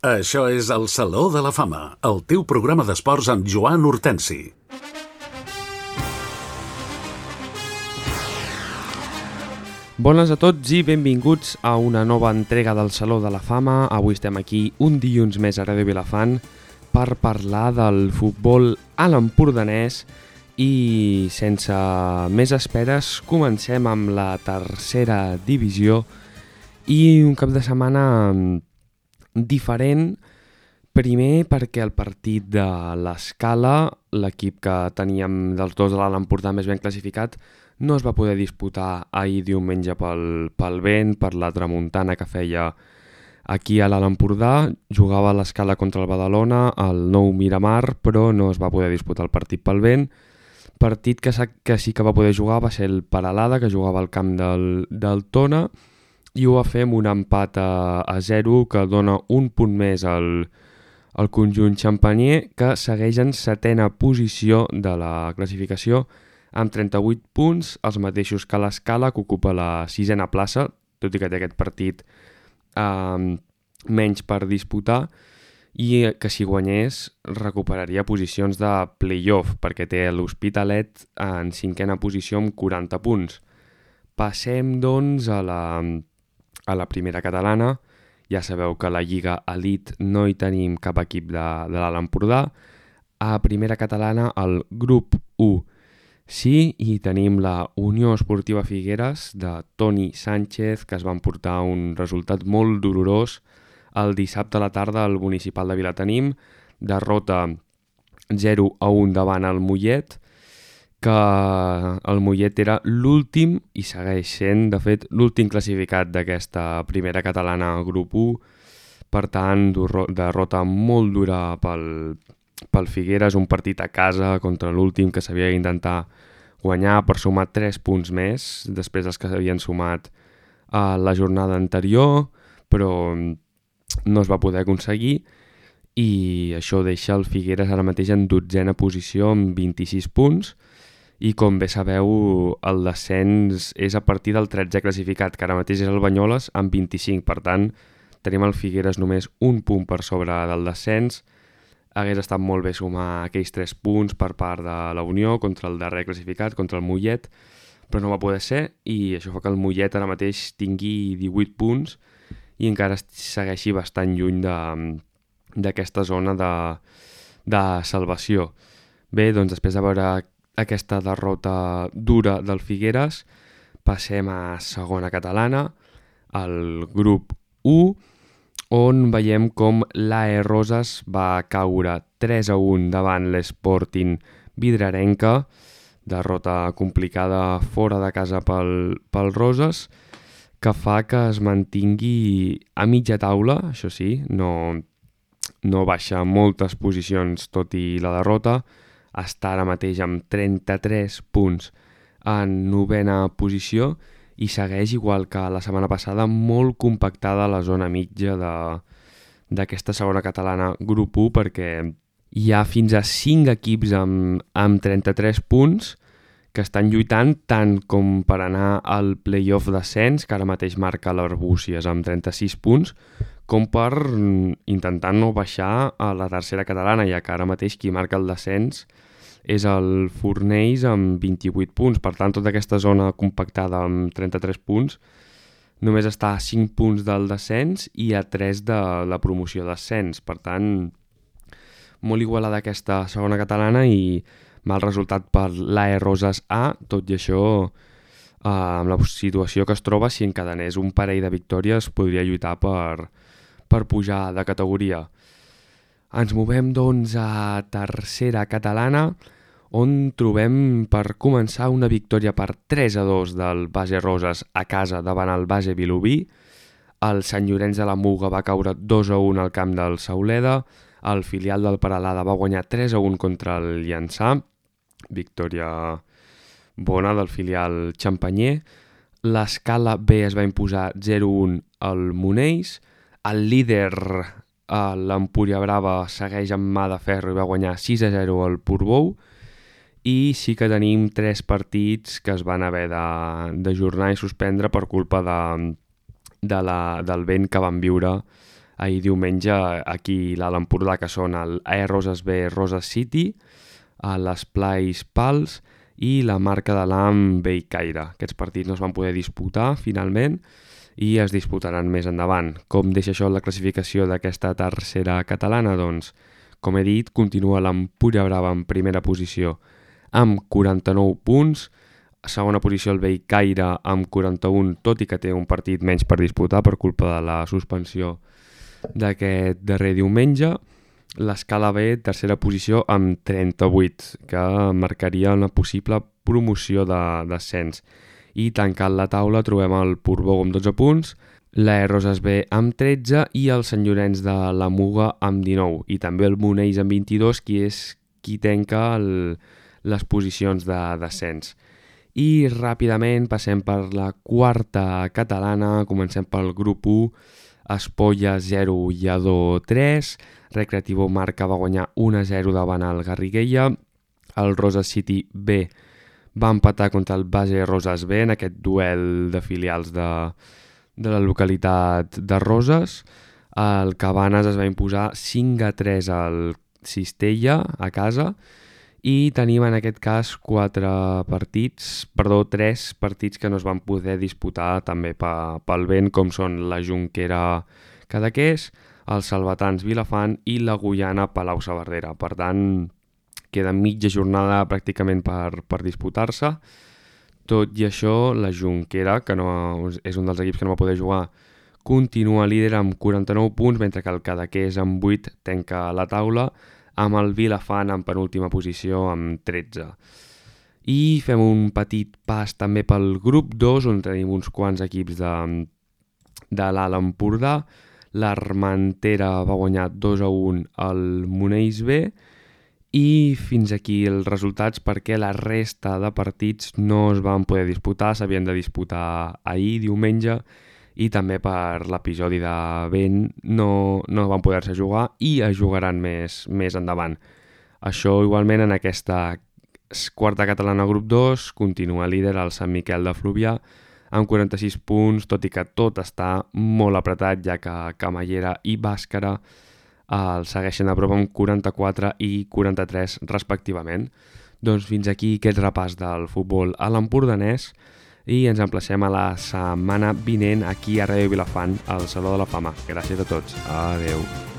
Això és el Saló de la Fama, el teu programa d'esports amb Joan Hortensi. Bones a tots i benvinguts a una nova entrega del Saló de la Fama. Avui estem aquí un dilluns més a Ràdio Vilafant per parlar del futbol a l'empordanès i sense més esperes comencem amb la tercera divisió i un cap de setmana diferent. Primer perquè el partit de l'Escala, l'equip que teníem dels dos de l'Alt Empordà més ben classificat, no es va poder disputar ahir diumenge pel vent, per la tramuntana que feia aquí a l'Alt Empordà. Jugava a l'Escala contra el Badalona, el Nou Miramar, però no es va poder disputar el partit pel vent. Partit que sí que va poder jugar va ser el Peralada, que jugava al camp del Tona, i ho va fer amb un empat a 0 que dona un punt més al conjunt xampanier, que segueix en setena posició de la classificació amb 38 punts, els mateixos que l'Escala, que ocupa la sisena plaça, tot i que té aquest partit menys per disputar, i que si guanyés recuperaria posicions de play-off, perquè té l'Hospitalet en cinquena posició amb 40 punts. Passem, doncs, a la primera catalana. Ja sabeu que a la Lliga Elite no hi tenim cap equip de l'Alt Empordà. A primera catalana, el grup 1 sí, i tenim la Unió Esportiva Figueres de Toni Sánchez, que es va emportar un resultat molt dolorós el dissabte a la tarda al municipal de Vilatenim. Derrota 0-1 davant el Mollet, que el Mollet era l'últim i segueix sent, de fet, l'últim classificat d'aquesta primera catalana grup 1. Per tant, derrota molt dura pel Figueres, un partit a casa contra l'últim que s'havia d'intentar guanyar per sumar 3 punts més després dels que s'havien sumat a la jornada anterior, però no es va poder aconseguir i això deixa el Figueres ara mateix en 12a posició amb 26 punts. I com bé sabeu, el descens és a partir del 13è classificat, que ara mateix és el Banyoles amb 25. Per tant, tenim el Figueres només un punt per sobre del descens. Hagués estat molt bé sumar aquells 3 punts per part de la Unió contra el darrer classificat, contra el Mollet, però no va poder ser, i això fa que el Mollet ara mateix tingui 18 punts i encara segueixi bastant lluny d'aquesta zona de salvació. Bé, doncs després de veure aquesta derrota dura del Figueres, passem a segona catalana, al grup 1, on veiem com l'AE Roses va caure 3-1 davant l'Sporting Vidrarenca, derrota complicada fora de casa pel Roses, que fa que es mantingui a mitja taula, això sí, no baixa moltes posicions tot i la derrota. Està ara mateix amb 33 punts en 9a posició i segueix, igual que la setmana passada, molt compactada la zona mitja d'aquesta segona catalana grup 1, perquè hi ha fins a 5 equips amb 33 punts que estan lluitant tant com per anar al play-off d'ascens, que ara mateix marca l'Arbúcies amb 36 punts, com per intentar no baixar a la tercera catalana, ja que ara mateix qui marca el descens és el Fornells amb 28 punts. Per tant, tota aquesta zona compactada amb 33 punts només està a 5 punts del descens i a 3 de la promoció d'ascens. Per tant, molt igualada aquesta segona catalana i mal resultat per l'AE Roses A, tot i això, amb la situació que es troba, si encadenés un parell de victòries podria lluitar per pujar de categoria. Ens movem, doncs, a tercera catalana, on trobem per començar una victòria per 3-2 del Base Roses a casa davant el Base Vilobí. El Sant Llorenç de la Muga va caure 2-1 al camp del Sauleda. El filial del Peralada va guanyar 3-1 contra el Llançà. Victòria bona del filial xampanyer. L'Escala B es va imposar 0-1 al Monells. El líder, l'Empúria Brava, segueix amb mà de ferro i va guanyar 6-0 al Portbou. I sí que tenim 3 partits que es van haver d'ajornar i suspendre per culpa del vent que van viure ahir diumenge aquí a l'Empordà, que són el Roses B Roses City, l'Esplais Pals i la Marca de l'Am Bellcaire. Aquests partits no es van poder disputar finalment i es disputaran més endavant. Com deixa això la classificació d'aquesta tercera catalana? Doncs, com he dit, continua l'Empuriabrava en primera posició amb 49 punts, segona posició el Bellcaire amb 41, tot i que té un partit menys per disputar per culpa de la suspensió d'aquest darrer diumenge. L'Escala B, tercera posició amb 38, que marcaria una possible promoció d'ascens. I tancant la taula trobem el Portbou amb 12 punts, la Roses B amb 13 i el Sant Llorenç de la Muga amb 19. I també el Monells amb 22, qui tanca les posicions d'ascens. I ràpidament passem per la quarta catalana, comencem pel grup 1, Espolla 0, Lledó 3, Recreativo Marca va guanyar 1-0 davant el Garriguella, el Roses City B va empatar contra el Base Roses B en aquest duel de filials de la localitat de Roses, el Cabanes es va imposar 5-3 al Cistella a casa, i tenim en aquest cas 3 partits que no es van poder disputar també pel vent, com són la Jonquera Cadaqués, el Salvatans Vilafant i la Guyana Palau-saverdera. Per tant, queda mitja jornada pràcticament per disputar-se. Tot i això, la Jonquera, que no és un dels equips que no va poder jugar, continua líder amb 49 punts, mentre que el Cadaqués amb 8 tanca la taula, amb el Vilafant en penúltima posició amb 13. I fem un petit pas també pel grup 2, on tenim uns quants equips de l'Alt Empordà. L'Armentera va guanyar 2-1 al Monells B, i fins aquí els resultats, perquè la resta de partits no es van poder disputar, s'havien de disputar ahir, diumenge, i també per l'episodi de vent no van poder-se jugar i es jugaran més endavant. Això igualment en aquesta quarta catalana grup 2 continua líder el Sant Miquel de Fluvià amb 46 punts, tot i que tot està molt apretat, ja que Camallera i Bàscara el segueixen a prop amb 44 i 43 respectivament. Doncs fins aquí aquest repàs del futbol a l'empordanès, i ens emplacem a la setmana vinent aquí a Ràdio Vilafant, al Saló de la Fama. Gràcies a tots. Adeu.